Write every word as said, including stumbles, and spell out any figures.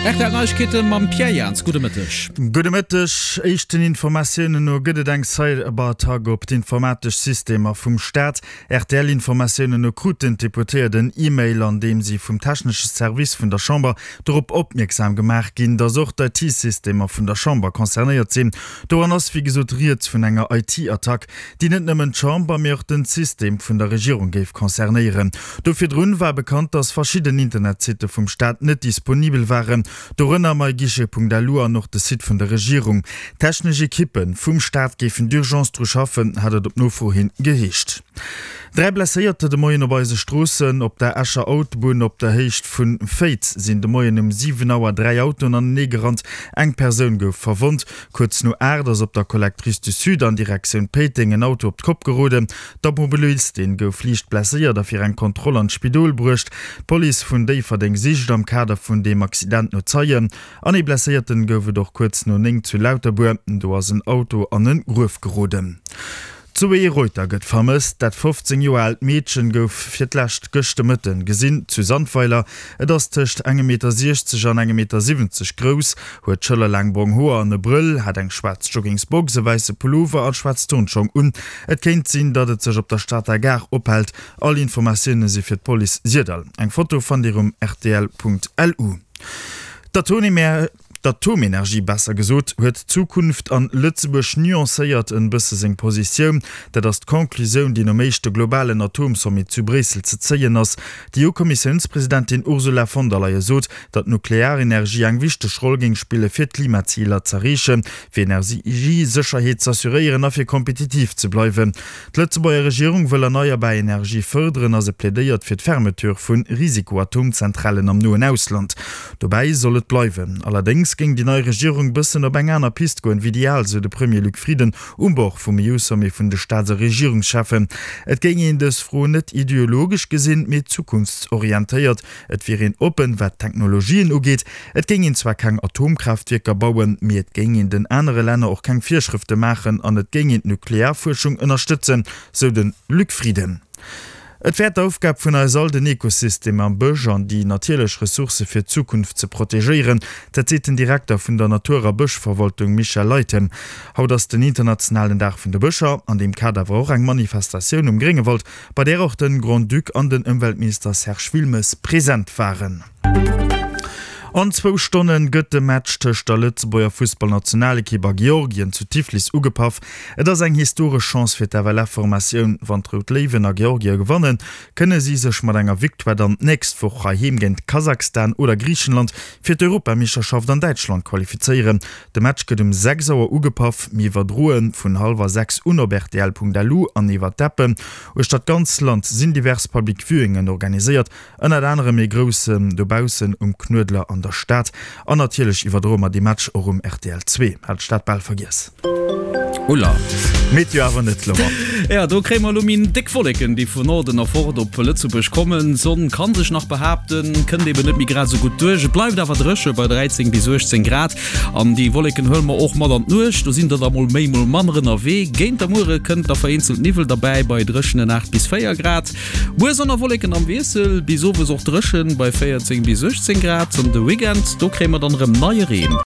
Rtl Neiegkeete mam Pierre Jans, Gudde Mëtteg. Gudde Mëtteg. Éischten Informatiounen no gëtt et eng Cyberattack op d'informatesch Systemer vum Staat. RTL-Informatiounen no kruten d'Deputéiert en E-Mail, an deem si vum technesche Service vun der Chamber dorop opmierksam gemaach ginn, datt och d'IT-Systemer vun der Chamber concernéiert sinn. Doran ass wéi gesot rieds vun enger IT-Attack, déi net nëmmen d'Chamber, mee och den System vun der Regierung géif concernéieren. Do virdrun war bekannt, datt verschidden Internetsitte vum Staat net disponibel waren, dorënner myguichet.lu an och de Site vun der Regierung. Technesch Ekippe vum Staat géifen d'urgence dru schaffen, hat et op Nofro hin geheescht. Dräi Blesséierter de Moien op eise Stroossen. Op der Escher Autobunn op der Héicht vu Féiz sinn de Moien um siwen Auer dräi Autoen anenee gerannt. Eng Persoun gouf verwonnt. Kuerz no aacht ass op der Collectrice du Sud an Direktioun Péiteng en Auto op d'Kopp geroden. D'Automobilistin gouf liicht blesséiert a fir eng Kontroll an d'Spidol bruecht. D'Police vun Déifferdeng sicht am Kader vun deem Accident no Zeien. An ee Blesséierten gouf et och kuerz no néng zu Lauterbuer. Do ass en Auto an en Gruef geroden. D'Zoé Reuter gëtt vermësst. Dat fofzéng Joer aalt Meedchen gouf fir d'lescht gëscht de Mëtten gesinn zu Sandweiler. Et ass tëscht engem Meter siechzeg an engem Meter siwwenzeg grouss, huet schëllerlaang brong Hoer an e Brëll, hat eng schwaarz Joggingsbox, e wäisse Pullover an schwaarz Turnschong un. Et kéint sinn, datt et sech op der Stater Gare ophält. All Informatioune si fir d'Police Syrdall. Eng Foto fannt Dir um rtl.lu. D'Atomenergie besser gesot, huet d'Zukunft an Lëtzebuerg nuancéiert en bësse seng Positioun. Dat ass d'Conclusioun, déi nom éischte globalen Atomsommet zu Bréissel ze zéien ass. D'EU-Kommissiounspresidentin Ursula von der Leyen sot, datt d'Nuklearenergie eng wichteg Roll géing spille fir d'Klimaziler z'erreechen, fir Energiesécherheet z'assuréieren a fir kompetitiv ze bleiwen. D'Lëtzebuerger Regierung wëll erneierbar Energie fërderen a se plädéiert fir d'Fermeture vu Risiko-Atomzentralen am noen Ausland. Dobäi soll et bleiwen. Allerdéngs géing déi nei Regierung bëssen op eng aner Pist goen, wéi déi al, sou de Premier Luc Frieden um Bord vum EU-Sommet vun de Staats a Regierungscheffen. Et géing een dës Fro net ideologesch gesinn, mee zukunftsorientéiert. Et wier een oppen, wat d'Technologien ugeet. Et géing een zwar keng Atomkraaftwierker bauen, mee et géing een den anere Länner och keng Virschrëfte maachen an et géing een d'Nuklearfuerschung ënnerstëtzen, sou de Luc Frieden. Et wär d'Aufgab vun eis all, den Ekosystem am Bësch an déi natierlech Ressourcë fir d'Zukunft ze protegéieren. Dat seet den Direkter vun der Natur a Bëschverwaltung Michel Leytem. Haut ass den internationalen Dag vun de Bëscher. An deem Kader war och eng Manifestatioun um Gréngewald, bei där och de Grand-Duc an den Ëmweltminister Serge Wilmes present waren. An zwou Stonne gëtt de Match tëscht der Lëtzebuerger Fussballnationalekipp a Georgien zu Tiflis ugepaff. Et ass eng historesch Chance fir d'FLF-Formatioun. Wann d'Rout Léiwen a Georgie gewannen, kënne si sech mat enger Victoire dann d'nächst Woch heiheem géint Kasachstan oder Griichenland fir d'Europameeschterschaft an Däitschland qualifizéieren. De Match gëtt um sechs Auer ugepaff. Mir iwwerdroe vun hallwer sechs un op rtl.lu an iwwer d'Appen. Uechter d'ganz Land sinn divers Public Viewingen organiséiert. Ënnert anerem ee groussen dobaussen um Knuedler an der Stad. An natierlech iwwerdroe mer dee Match och um rtl zwee. Hat ech dat bal vergiess. Ulla. Meteo awer net, Laurent. Ja, do kréie mer elo méi déck Wolleken, déi vun Norden erfort op Lëtzebuerg kommen. D'Sonn ka sech nach behaapten, kënnt eben net méi grad esou gutt duerch. Et bleift awer dréche bei dräizéng bis uechtzéng Grad. An déi Wolleken huele mer och mat an d'Nuecht. Do sinn der da mol méi, mol manner ënnerwee. Géint der Muere kënnt da vereenzelt Niwwel derbäi bei dréchenen aacht bis véier Grad. Muer Sonn a Wolleken am Wiessel, bis owes och dréchen bei véierzéng bis uechtzéng Grad. An de Weekend, do kréie mer dann erëm neie Reen.